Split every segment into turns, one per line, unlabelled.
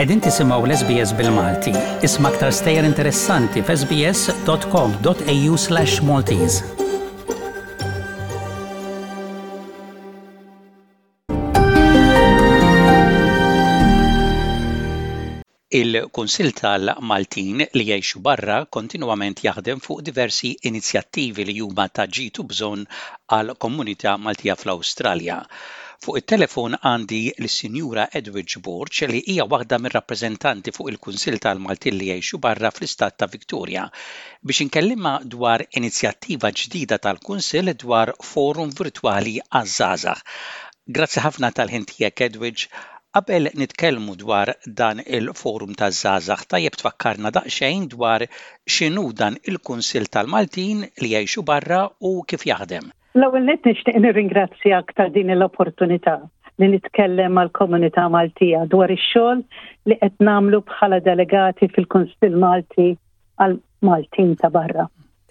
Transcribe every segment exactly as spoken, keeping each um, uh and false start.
Qegħdin tisimgħu l-S B S bil-Malti. Isma' aktar stejjer interessanti f'S B S dot com dot A U slash Maltese. Il-Kunsill tal-Maltin li jgħixu barra kontinwament jaħdem fuq diversi inizjattivi li huma ta' ġid u bżonn għal komunità Maltija fl-Awstralja. Fuq it-telefon għandi lis-Sinjura Edwidge Borg, li hija waħda mir-rappreżentanti fuq il-Kunsill tal-Maltin li jgħixu barra fl-istat ta' Victoria, biex inkellimha dwar inizjattiva ġdida tal-Kunsill dwar forum virtwali għaż-żgħażagħ. Grazzi ħafna tal-ħin tiegħek, Edwidge. Qabel nitkellmu dwar dan il-forum taż-żgħażagħ, tajjeb tfakkarna daqsxejn dwar x'inhu dan il-Kunsill tal-Maltin li jgħixu barra u kif jaħdem.
L-ewwel nett nixtieq nirringrazzjak ta' din l-opportunità li nitkellem mal-komunità Maltija dwar ix-xogħol li qed nagħmlu bħala delegati fil-Kunsill Malti għal Maltin ta' barra.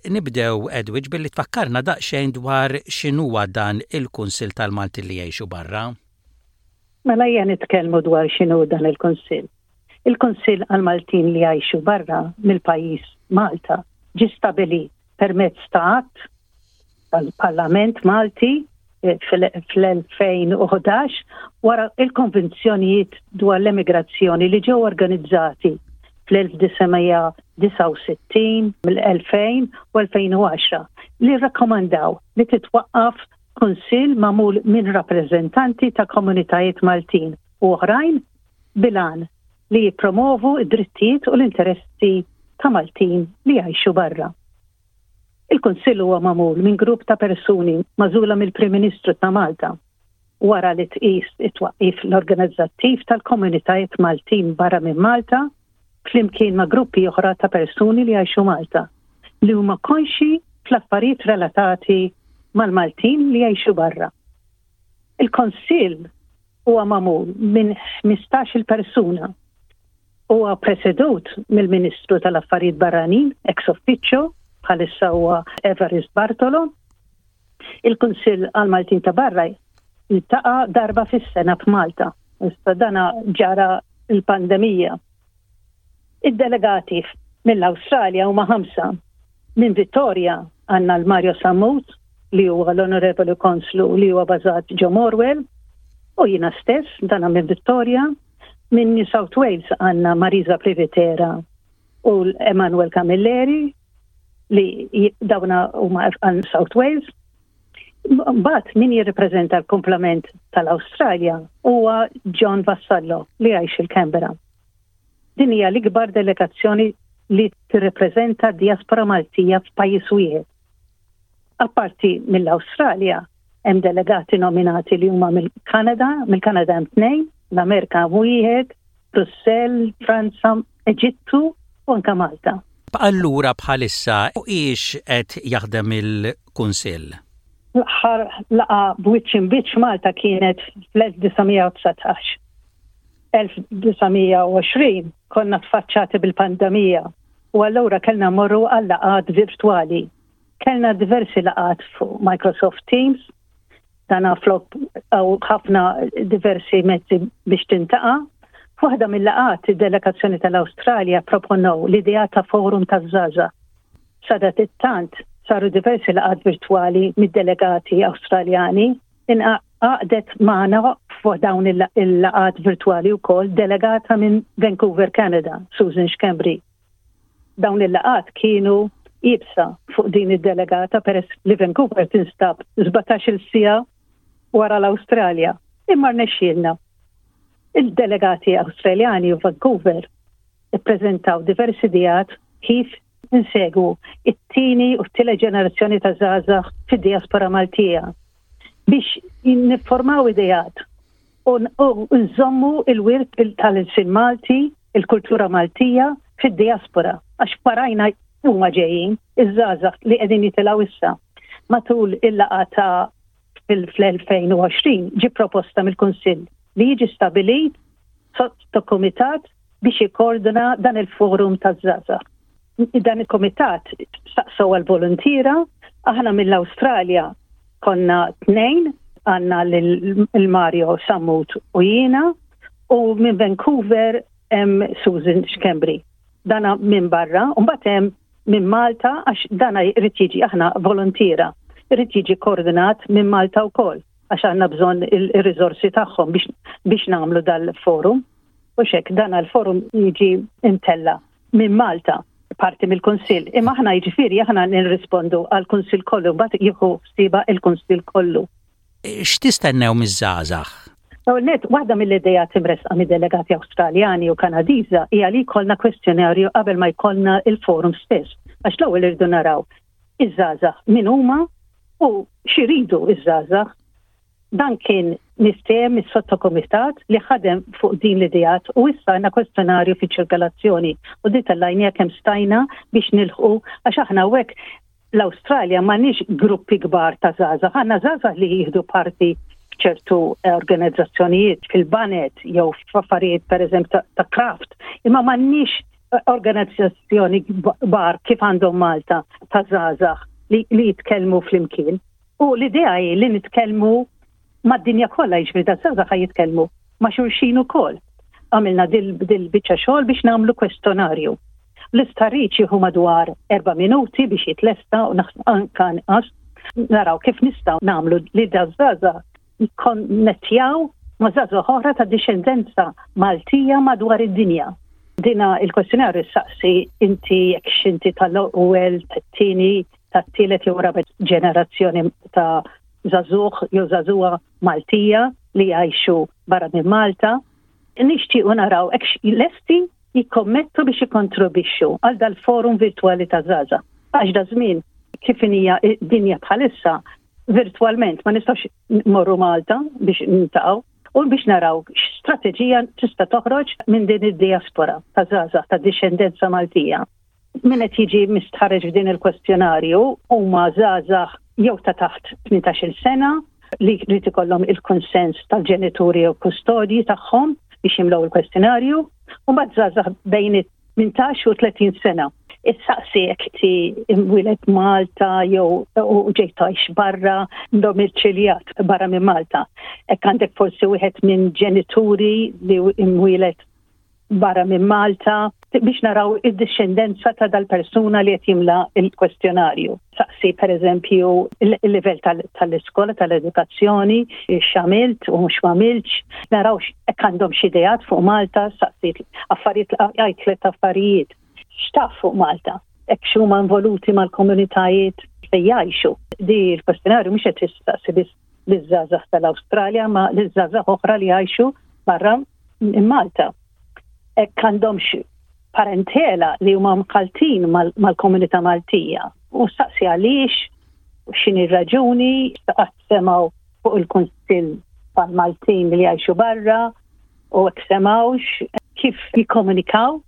Nibdew, Edwidge, billi tfakkarna daqsxejn dwar x'inhuwa dan il-Kunsill tal-Maltin li jgħixu barra.
Mela ejja nitkellmu dwar x'inhu dan il-Kunsill. Il-Kunsill għal-Maltin li jgħixu barra mill-pajjiż Malta ġi stabilit permezz ta' att tal-Parlament Malti eh, fl-elfejn u ħdax, wara il-konvenzjonijiet dwar l-emigrazzjoni li ġew organizzati fl-elf disa' mija disgħa u sittin, mill-elfejn u elfejn u għaxra, li rakkomandaw li titwaqqaf kunsill magħmul minn rappreżentanti ta' komunitajiet Maltin u oħrajn bil-għan li jippromovu id-drittijiet u l-interessi ta' Maltin li jgħixu barra. Il-Kunsill huwa magħmul minn grupp ta' persuni magħżula mill-Prim Ministru ta' Malta wara li tqis it-twaqqif l-organizzattiv tal-komunitajiet Maltin barra minn Malta, flimkien ma' gruppi oħra ta' persuni li jgħixu Malta li huma konxi fl-affarijiet relatati mal-Maltin li jgħixu barra. Il-Kunsill huwa magħmul minn ħmistax-il persuna. Huwa presedut mill-Ministru tal-Affarijiet Barranin ex officio, bħalissa huwa Evarist Bartolo. Il-Kunsill għal-Maltin ta' barra jiltaqa' darba fis-sena f'Malta. Issa dana ġara il-pandemija. Id-delegati mill-Awstralja huma ħamsa. Minn Vittoria għandna l-Mario Sammut, li huwa l-Onorevoli Konslu li huwa bażat ġo Morwell, u jiena stess, dana minn Vittoria. Minn New South Wales għandna Marisa Privitera u l-Emanuel Camilleri, li dawna huma għal South Wales. Mbagħad min jirrepreżenta l-komplement tal-Awstralja huwa John Vassallo, li jgħix il-Canberra. Din hija l-ikbar delegazzjoni li tirrepreżenta diaspora Maltija f'pajjiż wieħed. Apparti mill-Awstralja, hemm delegati nominati li huma mill-Kanada, mill-Kanada hemm tnejn, l-Amerika wieħed, Brussell, Franza, Eġittu u anka Malta.
Allura bħalissa ix qed jaħdem il-Kunsill?
L-aħħar laqgħa b'wiċċ imb'wiċċ Malta kienet fl-elf disa' mija u dsatax. elf disa' mija u għoxrin konna tfaċċati bil-pandemija u allura kellna morru għal laqgħat virtwali. Kellna diversi laqgħat fuq Microsoft Teams, dana flok għaw ħafna diversi mezzi biex tiltaqa'. Waħda mill-laqgħat, id-delegazzjoni tal-Awstralja proponow l-idea ta' forum ta' żgħażagħ. Sadattant saru diversi laqgħat virtwali mid-delegati Awstraljani. Ingħaqdet magħna fuq dawn il-laqgħat virtwali wkoll delegata minn Vancouver, Canada, Susan Schembri. Dawn il-laqgħat kienu iebsa fuq din id-delegata peress li Vancouver tinstab sbatax-il siegħa wara l-Awstralja. Imma rnexxielna. Il-delegati Awstraljani u Vancouver ippreżentaw diversi ideat kif insegwu it-tieni u t-tielet ġenerazzjoni ta' żgħażagħ fid-diaspora Maltija biex niformaw ideat u nżommu il-wirt tal-ilsien Malti, il-kultura Maltija fid-diaspora, għax warajna huma ġejjin iż-żgħażagħ li qegħdin jitilgħu issa. Matul il-laqgħa ta' fil-elfejn u għoxrin ġi proposta mill-Kunsill li jiġi stabilit sottokomitat biex jikkoordina dan il-forum taż-żgħażagħ. Dan il-komitat staqsow għal-volontiera, aħna mill-Awstralja konna tnejn, għandna l-Mario Sammut u jiena, u minn Vancouver Hemm Susan Schembri. Dana minn barra, u mbagħad hemm minn Malta, għax dana jrid jiġi, aħna volontiera, jrid jiġi koordinat minn Malta wkoll, għax għandna bżonn il-riżorsi tagħhom biex, biex nagħmlu dal-forum. U hekk dan il-forum jiġi imtella minn Malta, parti mill-Kunsill. Imma aħna, jiġifieri, aħna nirrispondu għall-Kunsill kollu, mbagħad jieħu ħsiebha il-Kunsill kollu.
X'tistennew miż-żgħażagħ?
Net, waħda mill-idejat imressqa mid-delegati Awstraljani u Kanadiża hija li jkollna kwestjonarju qabel ma jkollna il-forum stess. Għax l-ewwel irridu naraw iż-żgħażagħ min huma u x'iridu iż-żgħażagħ. Dan kien miftiehem is-sottokomitat li ħadem fuq din l-idejat u issa għandna kwestjonarju fi ċirkolazzjoni u di tellajnija kemm stajna biex nilħqu, għax aħna hekk l-Awstralja m'għandniex gruppi kbar ta' żgħażagħ, għandna żgħażagħ li jieħdu parti ċertu organizzazzjonijiet fil-baned jew f'affarijiet, per eżempju, ta', ta craft, imma m'għandniex organizzazzjoni kbar kif għandhom Malta ta' żgħażagħ li, li jitkellmu flimkien. U l-idea hi li nitkellmu mad-dinja kollha, jiġifieri da żgħażagħ jitkellmu ma' xulxin ukoll. Għamilna dil-biċċa xogħol biex nagħmlu kwestjonarju. L-istħarriġ jieħu madwar erba' minuti biex jitlesta u anka anqas. Naraw kif nistgħu nagħmlu li daż-żgħażagħ jikkonnettjaw ma' żgħażagħ oħra ta' dixxendenza Maltija madwar id-dinja. Dina il-kwestjonarju saqsi inti jekk x'inti tal-ewwel, tat-tieni, tat-tielet jew raba' ġenerazzjoni ta' żagħżugħ jew żagħżugħa Maltija li jgħixu barra minn Malta. Nixtiequ naraw hekk lesti jikkommettu biex jikontribwixxu għal dal-forum virtuali ta' żgħażagħ. Għax da żmien kif hija dinja bħalissa, virtualment ma nistgħux morru Malta biex niltaqgħu u biex naraw x'strateġija tista' toħroġ minn din id-diaspora ta' żgħażagħ ta' dixxendenza Maltija. Min qed jiġi mistħarreġ f'din il-kwestjonarju huma żgħażagħ jew ta' taħt tmintax-il sena li jrid ikollhom il-konsens tal-ġenituri jew kustodji tagħhom biex jimlew il-kwestjonarju, u mbagħad żgħażagħ bejn tmintax u tletin sena. Issaqsi jekk ti imwieled Malta jew u ġejt tgħix barra, domiċiljat barra minn Malta. Hekk għandek forsi wieħed minn ġenituri li imwieled barra minn Malta, biex naraw id-discendenza ta' dal-persuna li qed jimla il-kwestjonarju. Saqsi, per eżempju, il-livell tal-iskola, tal-edukazzjoni, x'għamilt u mhux m'għamiltx, naraw hekk għandhom xi ideat fuq Malta, saqsi affarijiet, għid tliet affarijiet x'taf fuq Malta, hekk huma involuti mal-komunitajiet fejn jgħixu. Di il-kwestjonarju mhux qed tistaqsi biss liż-żgħażagħ tal-Awstralja, ma liż-żgħażagħ oħra li jgħixu barra minn Malta. Hekk għandhomx parentela li huma mħalltin mal-komunità Maltija. U staqsi għaliex, u x'inhi raġuni, qatt semgħu fuq il-Kunsill tal-Maltin li jgħixu barra, u hekk semgħux, kif jikkomunikaw,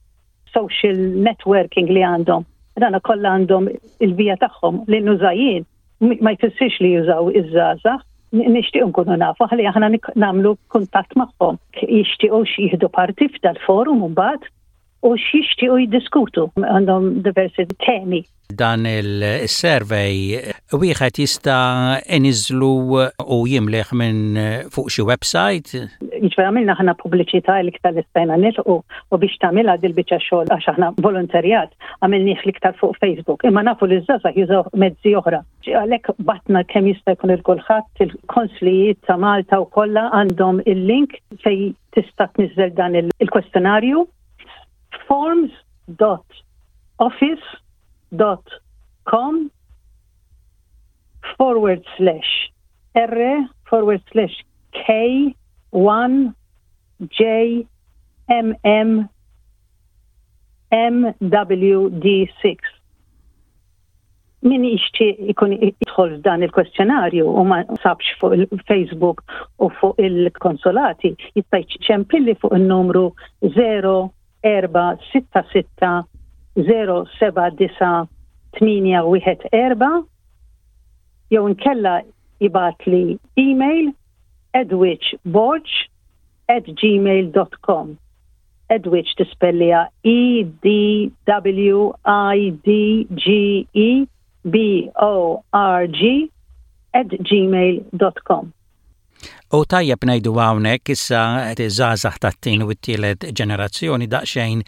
social networking li għandhom. Dana kollha għandhom il-vija tagħhom li nuża jien ma jfissirx li jużaw iż-żgħażagħ. Nixtieq nkunu nafu ħalli aħna nagħmlu kuntatt magħhom. Jixtiequ jieħdu parti f'dal-forum mbagħad u x'jixtiequ jiddiskutu. Għandhom diversi temi.
Dan il-survey wieħed jista' iniżlu u jimlih minn fuq xi website?
Jiġifieri għamilna aħna pubbliċità l-iktar li stajna nilħqu, u biex tagħmilha dil-biċċa xogħol, għax aħna volontarjat, għamilnieh l-iktar fuq Facebook. Imma nafu li żgħażagħ jużaw mezzi oħra. Għalhekk bgħatna kemm jista' jkun lil kulħadd, il-konslijiet ta' Malta u kollha għandhom il-link fej tista' tniżżel dan il-kwestjonarju, forms dot office dot com forward slash R forward slash K one J M M M W D six. Min jixtieq ikun jidħol f'dan il-kwestjonarju u ma sabx fuq il-Facebook u fuq il-konsolati, jista' jċempilli fuq il-numru zero erba' sitta sitta zero seba' disa' tmienja wieħed erba' jew inkella jibgħatli email edwidgeborg at gmail dot com. Edwidge tispellija E D W I D G E B O R G at gmail dot com.
U tajjeb ngħidu hawnhekk issa żgħażagħ tat-tieni u t-tielet ġenerazzjoni daqsxejn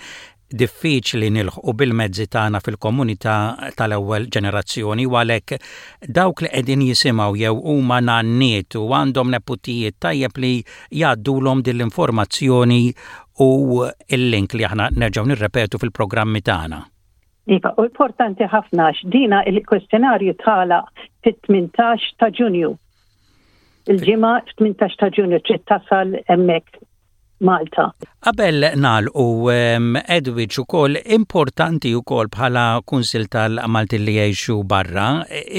diffiċli nilħqu bil-mezzi tagħna fil-komunità tal-ewwel ġenerazzjoni, u għalhekk dawk li qegħdin jisimgħu jew huma nanniet u għandhom neputijiet, tajjeb li jgħaddulhom din l-informazzjoni u il-link li aħna nerġgħu nirrepetu fil-programmi tagħna.
Iva, u importanti ħafna għax dina il-kwestjonarju tagħlaq fit-tmintax ta' Ġunju. Il-ġimgħa tmintax ta' Ġunju trid tasal hemmhekk Malta.
Qabel nagħlqu, Edwidge, ukoll importanti ukoll bħala Kunsil tal-Maltin li jgħixu barra,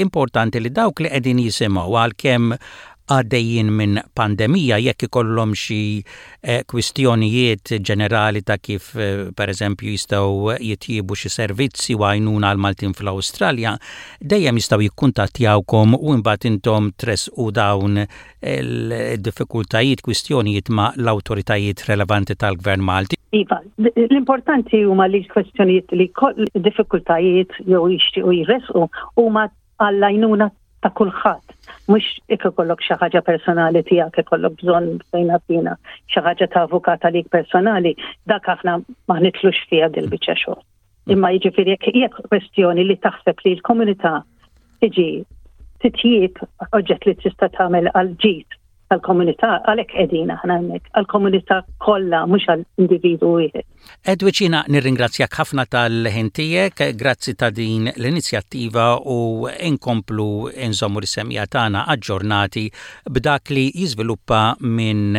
importanti li dawk li qegħdin jisimgħu, għalkemm għaddejjin minn pandemija, jekk ikollhom xi eh, kwistjonijiet ġenerali ta' kif eh, per eżempju jistgħu jitjibu xi servizzi u għajnuna għal Maltin fl-Awstralja, dejjem jistgħu jikkuntattjawkom u imbagħad intom tressqu dawn il-diffikultajiet, kwistjonijiet ma' l-awtoritajiet relevanti tal-Gvern Malti.
Iva, l-importanti huma li l-kwestjonijiet li diffikultajiet jew jixtiequ jressqu huma għall-għajnuna ta' kulħadd. Mhux jekk ikollok xi ħaġa personali tiegħek, ikollok bżonn fejn għaddina xi ħaġa ta' avukat għalik personali, dak aħna ma nidħlux fiha dil-biċċa xogħol. Imma jiġifieri jekk jekk kwestjoni li taħseb li l-komunità tiġi titjib, oġġett li tista' tagħmel għal ġid għal-komunità, għalhekk qegħdin aħna hemmhekk, għal-komunità kollha, mhux għal individu wieħed.
Edwidge, jiena nirringrazzjak ħafna tal-ħin tiegħek, grazzi ta' din l-inizjattiva u inkomplu nżommu l-semmiegħa tagħna aġġornati b'dak li jiżviluppa minn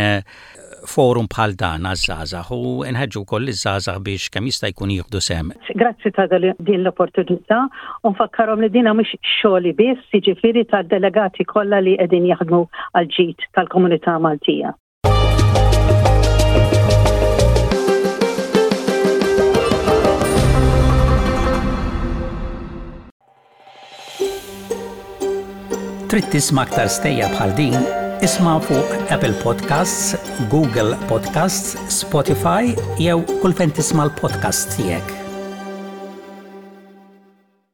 forum bħal dan għaż-żgħażagħ u nħeġġu wkoll iż-żgħażagħ biex kemm jista' jkun jieħdu sehem.
Grazzi ta' din l-opportunità u nfakkarhom li dina mhux xogħli biss, jiġifieri tad-delegati kollha li qegħdin jaħdmu għal ġid tal-komunità Maltija.
Trid tisma' aktar stejjer bħal din? Isma' fuq Apple Podcasts, Google Podcasts, Spotify jew kull fejn tisma' l-podcast tiegħek.